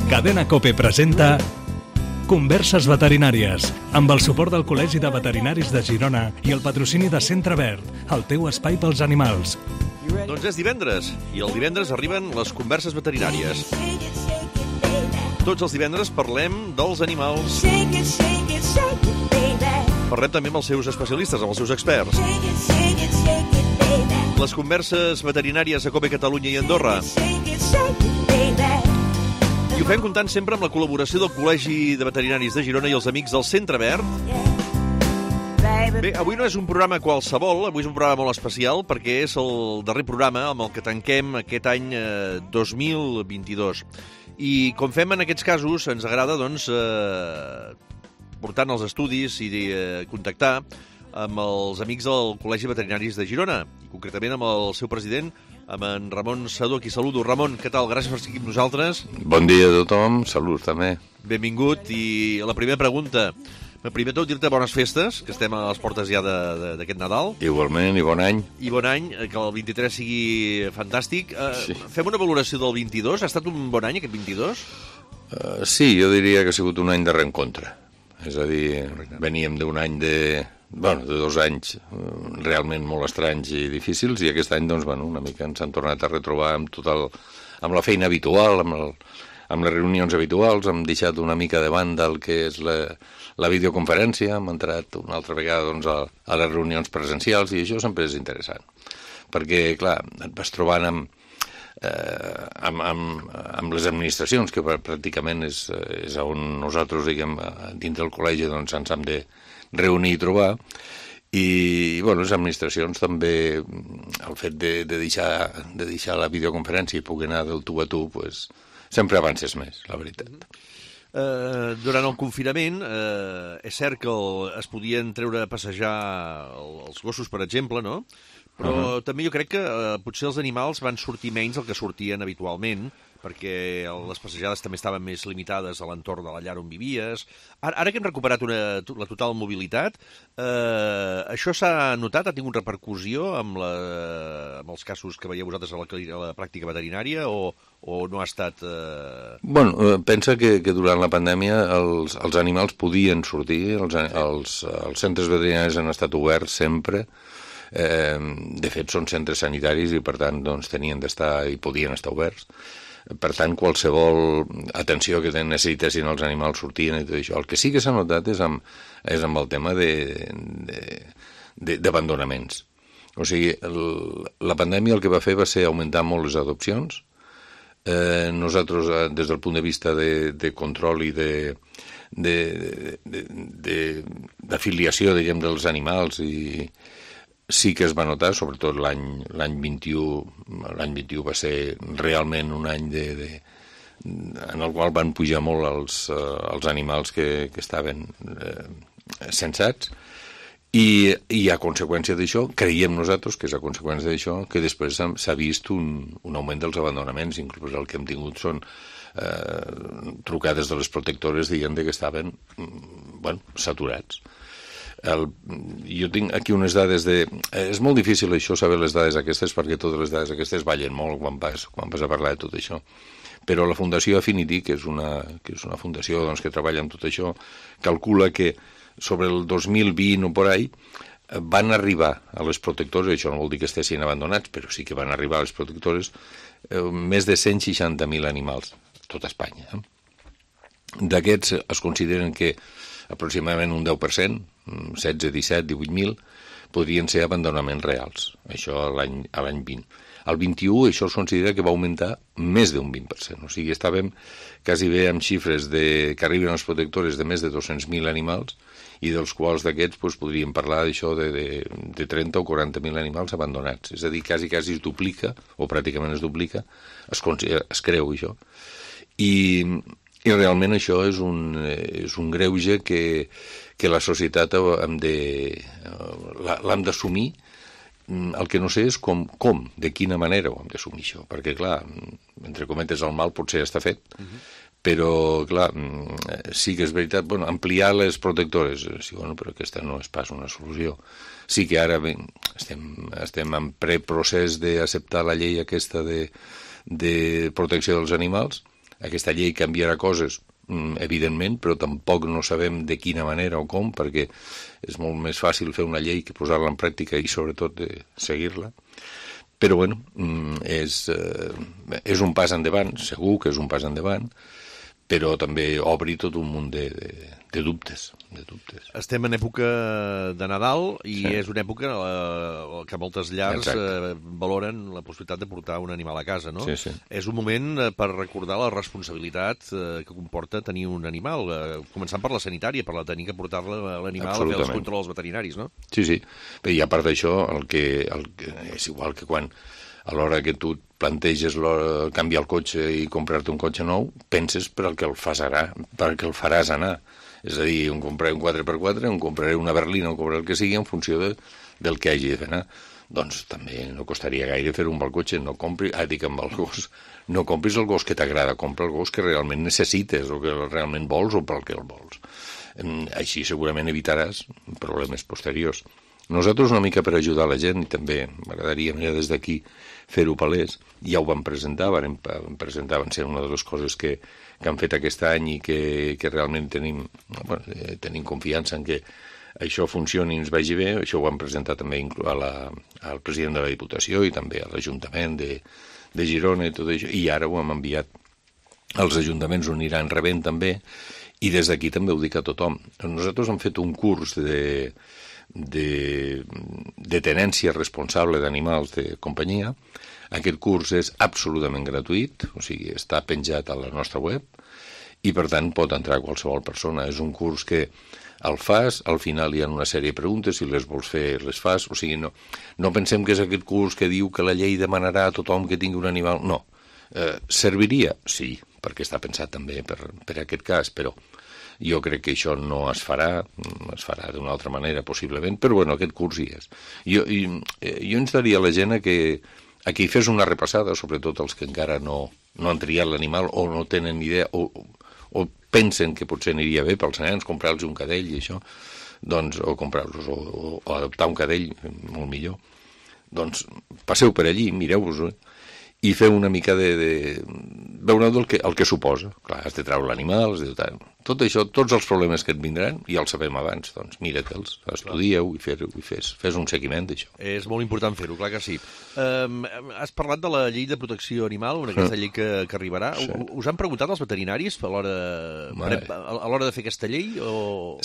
Cadena COPE presenta Converses veterinàries, amb el suport del Col·legi de Veterinaris de Girona i el patrocini de Centre Verd, el teu espai pels animals. Doncs és divendres, i el divendres arriben les converses veterinàries. Tots els divendres parlem dels animals. Parlem també amb els seus especialistes, amb els seus experts. Les converses veterinàries a COPE Catalunya i Andorra. I ho fem comptant sempre amb la col·laboració del Col·legi de Veterinaris de Girona i els amics del Centre Verd. Bé, avui no és un programa qualsevol, avui és un programa molt especial perquè és el darrer programa amb el que tanquem aquest any 2022. I com fem en aquests casos, ens agrada, doncs, portant els estudis i contactar amb els amics del Col·legi de Veterinaris de Girona, i concretament amb el seu president, amb en Ramon Sedó, qui saludo. Ramon, què tal? Gràcies per estar aquí amb nosaltres. Bon dia a tothom, salut també. Benvingut, i la primera pregunta. Primer tot, dir-te bones festes, que estem a les portes ja d'aquest Nadal. Igualment, i bon any. I bon any, que el 23 sigui fantàstic. Sí. Fem una valoració del 22. Ha estat un bon any, aquest 22? Sí, jo diria que ha sigut un any de reencontre. És a dir, veníem d'un any de 2 anys realment molt estranys i difícils, i aquest any, doncs, una mica ens han tornat a retrobar amb la feina habitual, amb les reunions habituals. Hem deixat una mica de banda el que és la videoconferència, hem entrat una altra vegada, doncs, a les reunions presencials, i això sempre és interessant, perquè, clar, et vas trobant amb les administracions, que pràcticament és on nosaltres, diguem, dintre del col·legi, doncs, ens hem de reunir i trobar. I, les administracions també, el fet de deixar la videoconferència i poder anar del tu a tu, pues, sempre avances més, la veritat. Durant el confinament, és cert que es podien treure a passejar els gossos, per exemple, no? Però també jo crec que potser els animals van sortir menys del que sortien habitualment, perquè les passejades també estaven més limitades a l'entorn de la llar on vivies. Ara que hem recuperat la total mobilitat, això s'ha notat? Ha tingut repercussió amb els casos que veieu vosaltres a la pràctica veterinària, o no ha estat... Pensa que durant la pandèmia els animals podien sortir, els centres veterinaris han estat oberts sempre. De fet, són centres sanitaris i, per tant, doncs, tenien d'estar i podien estar oberts. Per tant, qualsevol atenció que necessitessin els animals sortien i tot això. El que sí que s'ha notat és amb el tema d'abandonaments. O sigui, la pandèmia el que va fer va ser augmentar molt les adopcions. Nosaltres, des del punt de vista de control i d'afiliació, diguem, dels animals, i sí que es va notar, sobretot l'any 21. L'any 21 va ser realment un any en el qual van pujar molt els animals que estaven censats, i a conseqüència d'això, creiem nosaltres que és a conseqüència d'això que després s'ha vist un augment dels abandonaments. Inclús el que hem tingut són trucades de les protectores dient que estaven saturats. Jo tinc aquí unes dades és molt difícil això, saber les dades aquestes, perquè totes les dades aquestes ballen molt quan vas a parlar de tot això. Però la Fundació Affinity, que és una fundació, doncs, que treballa amb tot això, calcula que sobre el 2020 o por ahí van arribar a les protectores, això no vol dir que estessin abandonats, però sí que van arribar a les protectores més de 160.000 animals a tot Espanya. D'aquests es consideren que aproximadament un 10%, 16, 17, 18.000, podrien ser abandonaments reals, això a l'any 20. Al 21 això es considera que va augmentar més d'un 20%, o sigui, estàvem quasi bé amb xifres que arriben a les protectores de més de 200.000 animals, i dels quals d'aquests podríem parlar d'això de 30 o 40.000 animals abandonats. És a dir, quasi es duplica, o pràcticament es duplica, es creu això. I realment això és un greuge que la societat l'hem d'assumir. El que no sé és com, de quina manera ho hem d'assumir això, perquè, clar, entre cometes, el mal potser està fet, però, clar, sí que és veritat, ampliar les protectores, sí, però aquesta no és pas una solució. Sí que ara estem en preprocés d'acceptar la llei aquesta de protecció dels animals, Aquesta llei canviarà coses, evidentment, però tampoc no sabem de quina manera o com, perquè és molt més fàcil fer una llei que posar-la en pràctica i sobretot seguir-la. Però bueno, és un pas endavant, segur que és un pas endavant, però també obri tot un munt de dubtes. Estem en època de Nadal i és una època que moltes llars valoren la possibilitat de portar un animal a casa, no? Sí. És un moment per recordar la responsabilitat que comporta tenir un animal, començant per la sanitària, per la tenir que portar l'animal a fer els controls veterinaris, no? Sí. I a part d'això, el que és igual que quan a l'hora que tu planteges canviar el cotxe i comprar-te un cotxe nou, penses per al que el faràs anar. És a dir, un compraré un 4x4, un compraré una berlina, un compraré el que sigui en funció del que hagi de fer anar. Doncs també no costaria gaire fer un bon cotxe. No compris el gos que t'agrada, compra el gos que realment necessites o que realment vols o per al que el vols. Així segurament evitaràs problemes posteriors. Nosaltres una mica per ajudar la gent, i també m'agradaria des d'aquí fer-ho palès, ja ho vam presentar, van ser una de les coses que han fet aquest any i que realment tenim confiança en que això funcioni i ens vagi bé. Això ho vam presentar també al president de la Diputació i també a l'Ajuntament de Girona i tot això, i ara ho hem enviat als ajuntaments, ho aniran rebent també, i des d'aquí també ho dic a tothom. Nosaltres hem fet un curs de tenència responsable d'animals de companyia. Aquest curs és absolutament gratuït, o sigui, està penjat a la nostra web i per tant pot entrar qualsevol persona. És un curs que el fas, al final hi ha una sèrie de preguntes, si les vols fer les fas, o sigui, no pensem que és aquest curs que diu que la llei demanarà a tothom que tingui un animal, no. Serviria? Sí, perquè està pensat també per aquest cas, però jo crec que això no es farà d'una altra manera, possiblement, però bueno, aquest curs hi és. Jo instaria la gent a que hi fes una repassada, sobretot els que encara no han triat l'animal o no tenen idea o pensen que potser aniria bé pels nens comprar-los un cadell i això, doncs, o comprar-los o adoptar un cadell, molt millor. Doncs passeu per allí, mireu-vos-ho, i feu una mica veureu el que suposa. Clar, has de treure l'animal, tot això, tots els problemes que et vindran, ja els sabem abans, doncs mira-te'ls, estudieu i fes un seguiment d'això. És molt important fer-ho, clar que sí. Has parlat de la llei de protecció animal, aquesta llei que arribarà. Sí. Us han preguntat els veterinaris a l'hora de fer aquesta llei?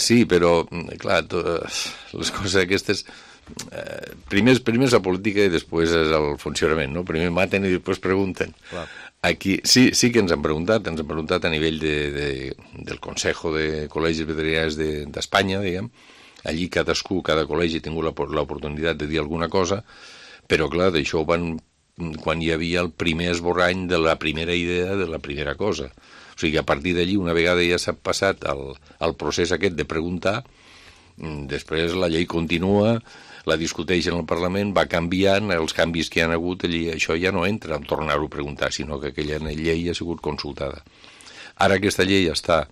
Sí, però, clar, les coses aquestes... Primer és la política i després és el funcionament, no? Primer maten i després pregunten. Clar. Aquí sí que ens han preguntat a nivell del Consejo de Col·legis Veterinaris d'Espanya, diguem. Allí cada col·legi ha tingut l'oportunitat de dir alguna cosa, però clar, d'això quan hi havia el primer esborrany de la primera idea de la primera cosa. O sigui, a partir d'allí, una vegada ja s'ha passat el procés aquest de preguntar, després la llei continua, la discuteix en el Parlament, va canviant, els canvis que hi ha hagut allí, això ja no entra en tornar-ho a preguntar, sinó que aquella llei ha sigut consultada. Ara aquesta llei està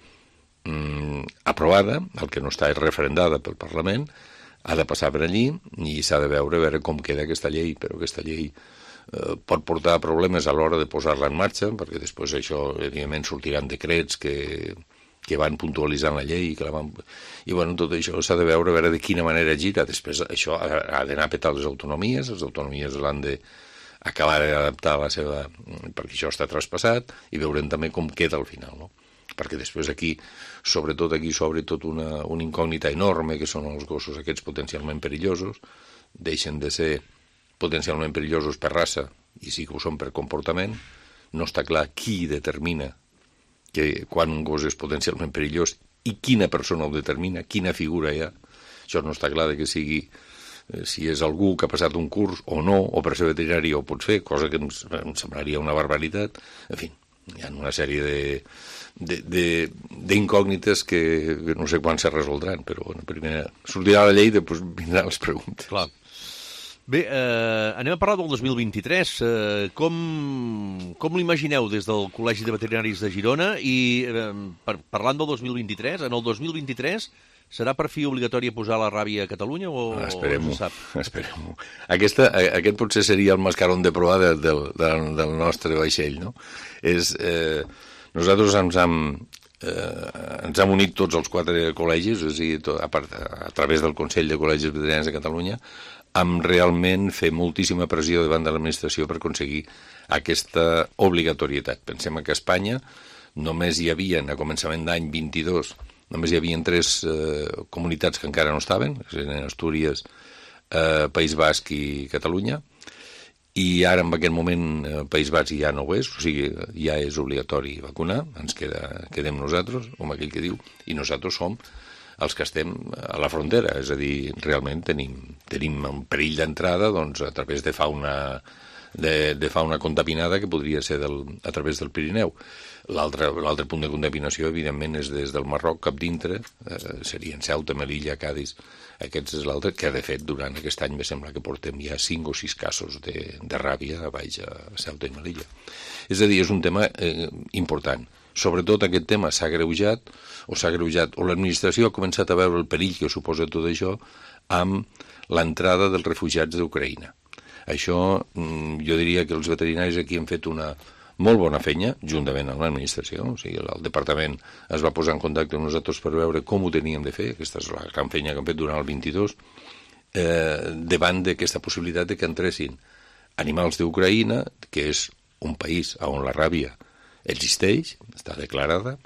aprovada, el que no està és referendada pel Parlament, ha de passar per allí i s'ha de veure com queda aquesta llei, però aquesta llei pot portar problemes a l'hora de posar-la en marxa, perquè després això, evidentment, sortiran decrets que van puntualitzant la llei i bueno, tot això s'ha de veure de quina manera gira. Després això ha d'anar a petar les autonomies l'han d'acabar d'adaptar a la seva... perquè això està traspassat i veurem també com queda al final, no? Perquè després aquí s'obre tot una incògnita enorme, que són els gossos aquests potencialment perillosos, deixen de ser potencialment perillosos per raça i sí que ho són per comportament. No està clar qui determina que quan un gos és potencialment perillós i quina persona ho determina, quina figura hi ha. Això no està clar que sigui si és algú que ha passat un curs o no, o per ser veterinari o pot fer, cosa que em semblaria una barbaritat. En fi, hi ha una sèrie d'incògnites que no sé quan se resoldran, però bueno, primer sortirà la llei i després vindran les preguntes. Clar. Bé, anem a parlar del 2023. Com l'imagineu des del Col·legi de Veterinaris de Girona? I parlant del 2023, en el 2023 serà per fi obligatori posar la ràbia a Catalunya o Esperem-ho, no se sap? Esperem-ho. Aquest potser seria el mascarón de proa del nostre vaixell, no? Nosaltres ens hem unit tots els 4 col·legis, és a dir, a través del Consell de Col·legis Veterinaris de Catalunya, amb realment fer moltíssima pressió davant de l'administració per aconseguir aquesta obligatorietat. Pensem que a Espanya només hi havia, a començament d'any 22, només hi havia 3 comunitats que encara no estaven, eren Astúries, País Basc i Catalunya, i ara en aquest moment País Basc ja no ho és, o sigui, ja és obligatori vacunar, ens quedem nosaltres, com aquell que diu, i nosaltres som els que estem a la frontera, és a dir, realment tenim un perill d'entrada doncs, a través de fauna contaminada que podria ser a través del Pirineu. L'altre punt de contaminació, evidentment, és des del Marroc cap dintre, serien Ceuta, Melilla, Cádiz, aquest és l'altre, que de fet durant aquest any me sembla que portem ja 5 o 6 casos de ràbia a baix a Ceuta i Melilla. És a dir, és un tema important. Sobretot aquest tema s'ha agreujat, o l'administració ha començat a veure el perill que suposa tot això amb l'entrada dels refugiats d'Ucraïna. Això, jo diria que els veterinaris aquí han fet una molt bona feina, juntament amb l'administració, o sigui, el departament es va posar en contacte amb nosaltres per veure com ho teníem de fer, aquesta és la gran feina que han fet durant el 22, davant d'aquesta possibilitat de que entressin animals d'Ucraïna, que és un país on la ràbia existeix, està declarada,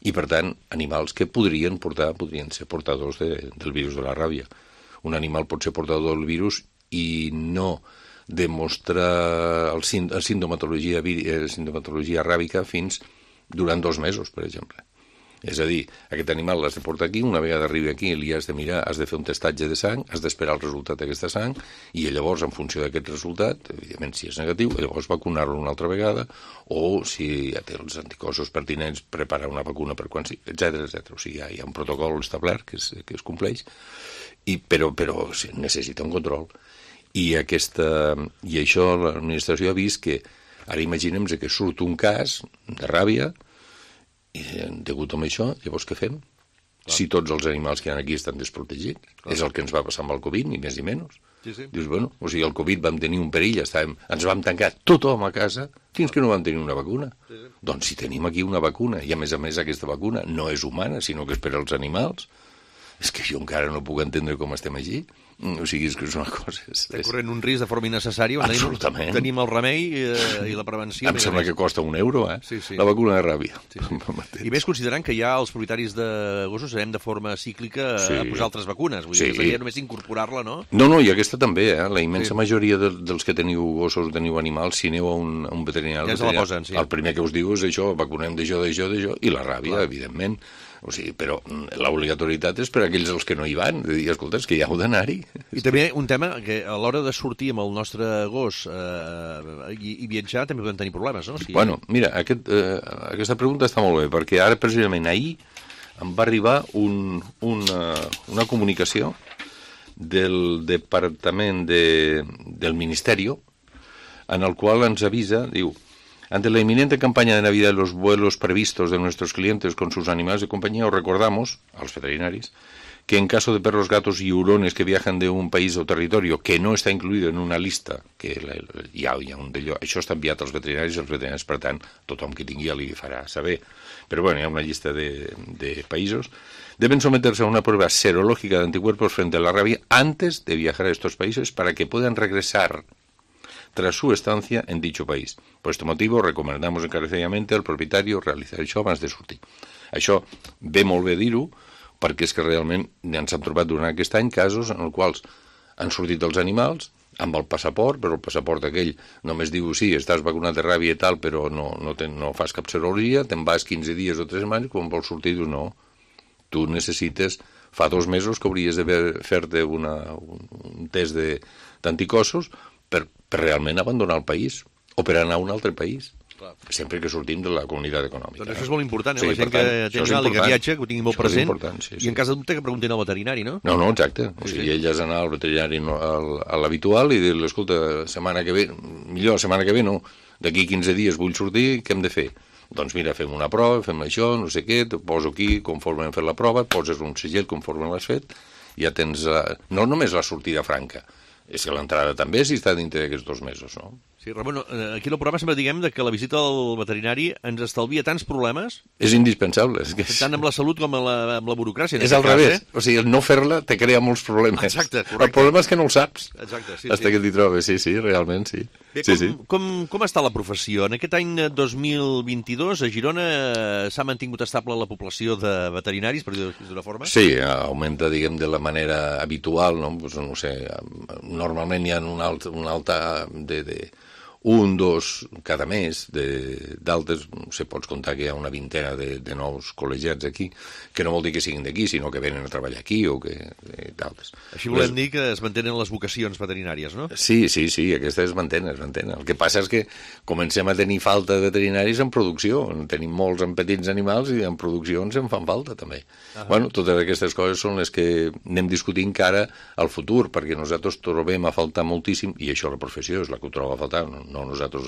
i per tant animals que podrien ser portadors del virus de la ràbia. Un animal pot ser portador del virus i no demostra la sintomatologia ràbica fins durant 2 mesos, per exemple. És a dir, aquest animal l'has de portar aquí, una vegada arribi aquí li has de mirar, has de fer un testatge de sang, has d'esperar el resultat d'aquesta sang, i llavors, en funció d'aquest resultat, evidentment, si és negatiu, llavors vacunar-lo una altra vegada, o si ja té els anticossos pertinents, preparar una vacuna per quan sí, etc. O sigui, hi ha un protocol establert que es compleix, però necessita un control. I això l'administració ha vist que, ara imaginem que surt un cas de ràbia, i degut a això, llavors què fem? Clar. Si tots els animals que hi ha aquí estan desprotegits, clar. És el que ens va passar amb el Covid, ni més ni menys. Sí. Dius, bueno, o sigui, el Covid vam tenir un perill, ens vam tancar tothom a casa fins que no vam tenir una vacuna. Sí. Doncs si tenim aquí una vacuna, i a més aquesta vacuna no és humana, sinó que és per als animals, és que jo encara no puc entendre com estem allí. O sigui, és que és una cosa... Estem corrent un risc de forma innecessària. Absolutament. Tenim el remei i la prevenció. Em sembla que costa €1, Sí. La vacuna de ràbia. Sí. I més considerant que ja els propietaris de gossos anem de forma cíclica a posar altres vacunes. Vull dir que seria només incorporar-la, no? No, i aquesta també, La immensa majoria dels que teniu gossos o teniu animals, si aneu a un veterinari... Ja se la posen, sí. El primer que us diu és això, vacunem d'això, i la ràbia, evidentment. O sigui, però l'obligatorietat és per a aquells els que no hi van, de dir, escolta, és que ja heu d'anar-hi. I també un tema que a l'hora de sortir amb el nostre gos i viatjar també podem tenir problemes, no? Bueno, mira, aquesta pregunta està molt bé, perquè ara, precisament, ahir em va arribar una comunicació del Departament del Ministeri, en el qual ens avisa, diu: ante la inminente campaña de Navidad y los vuelos previstos de nuestros clientes con sus animales de compañía, os recordamos, a los veterinarios, que en caso de perros, gatos y hurones que viajan de un país o territorio que no está incluido en una lista, que hi ha un d'allò, això està enviat als veterinaris, i els veterinaris, per tant, tothom que tingui li farà saber. Però bueno, hi ha una llista de països. Deben someterse a una prueba serológica de anticuerpos frente a la rabia antes de viajar a estos países para que puedan regresar tras su estancia en dicho país. Por este motivo, recomendamos encarecidamente al propietario realizar això abans de sortir. Això ve molt bé dir-ho, perquè és que realment ens hem trobat durant aquest any casos en els quals han sortit els animals amb el passaport, però el passaport aquell només diu, sí, estàs vacunat de ràbia i tal, però no fas cap serologia, te'n vas 15 dies o 3 setmanes, quan vols sortir dius no. Tu necessites, fa 2 mesos que hauries de fer-te un test d'anticossos per realment abandonar el país o per anar a un altre país. Clar. Sempre que sortim de la comunitat econòmica. Doncs això és molt important, la gent que té animal i que viatja, que ho tingui molt present, sí. I en cas de dubte que preguntin al veterinari, no? No, exacte. O sigui, ell has d'anar al veterinari a l'habitual i dir-li, escolta, setmana que ve, millor setmana que ve no, d'aquí 15 dies vull sortir, què hem de fer? Doncs mira, fem una prova, fem això, no sé què, te poso aquí conforme hem fet la prova, poses un segell conforme l'has fet, ja tens no només la sortida franca, és que l'entrada també si està dintre d'aquests 2 mesos, no? Sí, Ramon, aquí al programa sempre diguem que la visita al veterinari ens estalvia tants problemes... És indispensable. Tant amb la salut com amb la burocràcia. És al revés. O sigui, el no fer-la te crea molts problemes. Exacte, correcte. El problema és que no el saps. Exacte, sí. Hasta que t'hi trobes, sí, realment, sí. Bé, com està la professió? En aquest any 2022 a Girona s'ha mantingut estable la població de veterinaris, per dir-ho d'una forma? Sí, augmenta, diguem, de la manera habitual, no? Pues, no sé, normalment hi ha un alta de 1, 2 cada mes, d'altres, no sé, pots comptar que hi ha una vintena de nous col·legiats aquí, que no vol dir que siguin d'aquí, sinó que venen a treballar aquí o que d'altres. Així volem dir que es mantenen les vocacions veterinàries, no? Sí, aquestes es mantenen. El que passa és que comencem a tenir falta de veterinaris en producció, en tenim molts en petits animals i en produccions en fan falta també. Bueno, totes aquestes coses són les que anem discutint cara al futur, perquè nosaltres trobem a faltar moltíssim, i això la professió és la que ho troba a faltar, no nosaltres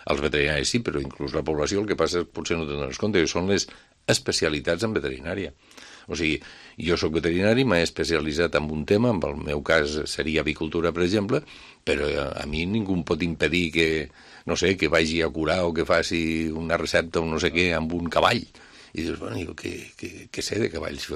els veterinaris sí, però inclús la població, el que passa és potser no te'n dones compte, que són les especialitats en veterinària. O sigui, jo sóc veterinari, m'he especialitzat en un tema, en el meu cas seria avicultura, per exemple, però a mi ningú em pot impedir que, no sé, que vagi a curar o que faci una recepta o no sé què amb un cavall. I dius, bueno, jo què sé de cavalls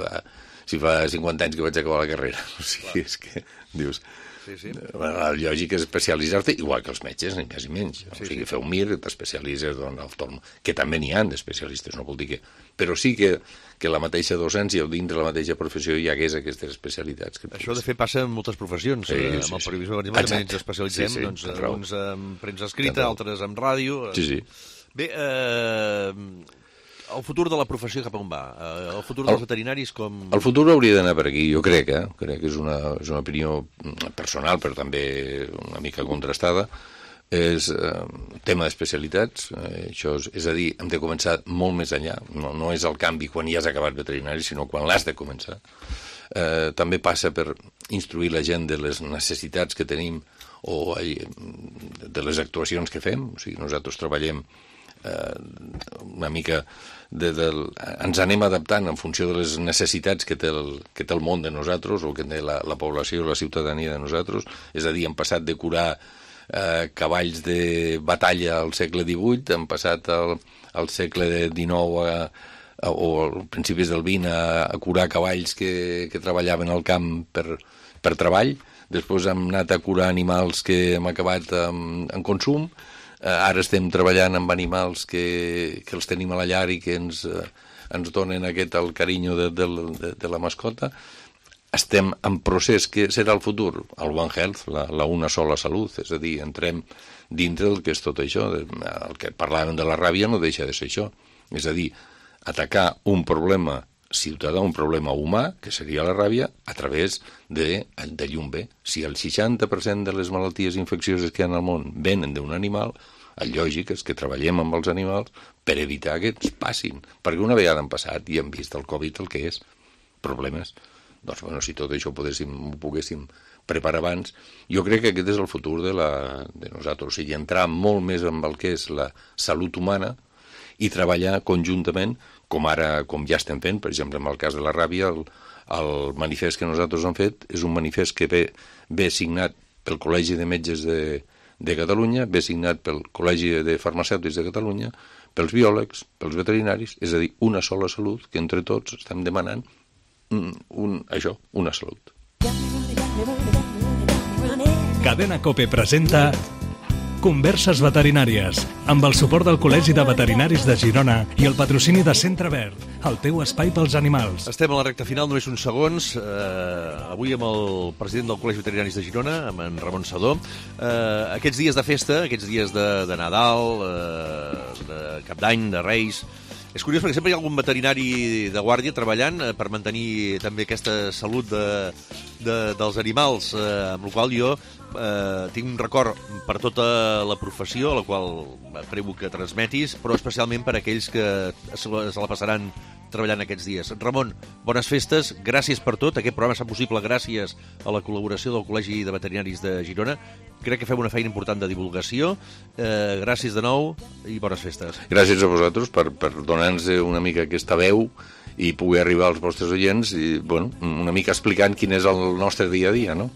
si fa 50 anys que vaig acabar la carrera? O sigui, és que dius... Sí. La lògica és especialitzar-te, igual que els metges, ni més ni menys. O sigui, feu mir, t'especialitzes en el que també n'hi ha d'especialistes, no vol dir que... Però sí que la mateixa docència o dintre la mateixa professió hi hagués aquestes especialitats. Això, de fet, passa en moltes professions. Amb el periodisme, per exemple, també ens especialitzem, doncs, uns en premsa escrita, altres en ràdio... Sí. Bé, el futur de la professió cap on va? El futur dels veterinaris com... El futur hauria d'anar per aquí, jo crec que és una opinió personal, però també una mica contrastada. És tema d'especialitats, això és a dir, hem de començar molt més enllà. No és el canvi quan ja has acabat veterinari, sinó quan l'has de començar. També passa per instruir la gent de les necessitats que tenim o de les actuacions que fem. O sigui, nosaltres treballem una mica ens anem adaptant en funció de les necessitats que té el món de nosaltres o que té la població o la ciutadania de nosaltres. És a dir, hem passat de curar cavalls de batalla al segle XVIII, hem passat al segle XIX o als principis del XX a curar cavalls que treballaven al camp per treball. Després hem anat a curar animals que hem acabat en consum. Ara estem treballant amb animals que els tenim a la llar i que ens donen el carinyo de la mascota. Estem en procés, que serà el futur? El One Health, la una sola salut, és a dir, entrem dintre del que és tot això. El que parlàvem de la ràbia no deixa de ser això. És a dir, atacar un problema ciutadà, un problema humà, que seria la ràbia, a través de llum bé. Si el 60% de les malalties infeccioses que hi ha al món venen d'un animal, el lògic és que treballem amb els animals per evitar que ens passin. Perquè una vegada han passat i hem vist el Covid el que és, problemes. Doncs, bueno, si tot això ho poguéssim preparar abans, jo crec que aquest és el futur de nosaltres. O sigui, entrar molt més en el que és la salut humana i treballar conjuntament, com ja estem fent, per exemple, en el cas de la ràbia, el manifest que nosaltres hem fet és un manifest que ve signat pel Col·legi de Metges de Catalunya, ve signat pel Col·legi de Farmacèutics de Catalunya, pels biòlegs, pels veterinaris, és a dir, una sola salut, que entre tots estem demanant una salut. Cadena COPE presenta Converses veterinàries, amb el suport del Col·legi de Veterinaris de Girona i el patrocini de Centre Verd, el teu espai pels animals. Estem a la recta final, només uns segons. Avui amb el president del Col·legi de Veterinaris de Girona, amb en Ramon Sedó. Aquests dies de festa, aquests dies de Nadal, de Cap d'Any, de Reis... És curiós perquè sempre hi ha algun veterinari de guàrdia treballant per mantenir també aquesta salut dels animals, amb la qual jo tinc un record per tota la professió, a la qual prego que transmetis, però especialment per aquells que se la passaran treballant aquests dies. Ramon, bones festes, gràcies per tot. Aquest programa s'ha possible gràcies a la col·laboració del Col·legi de Veterinaris de Girona. Crec que fem una feina important de divulgació. Gràcies de nou i bones festes. Gràcies a vosaltres per donar-nos una mica aquesta veu i poder arribar als vostres oients i, bueno, una mica explicant quin és el nostre dia a dia, no?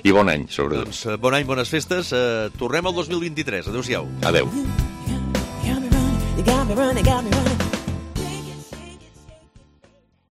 I bon any, sobretot. Doncs bon any, bones festes. Tornem al 2023. Adéu-siau. Adéu. You got me running, got me running.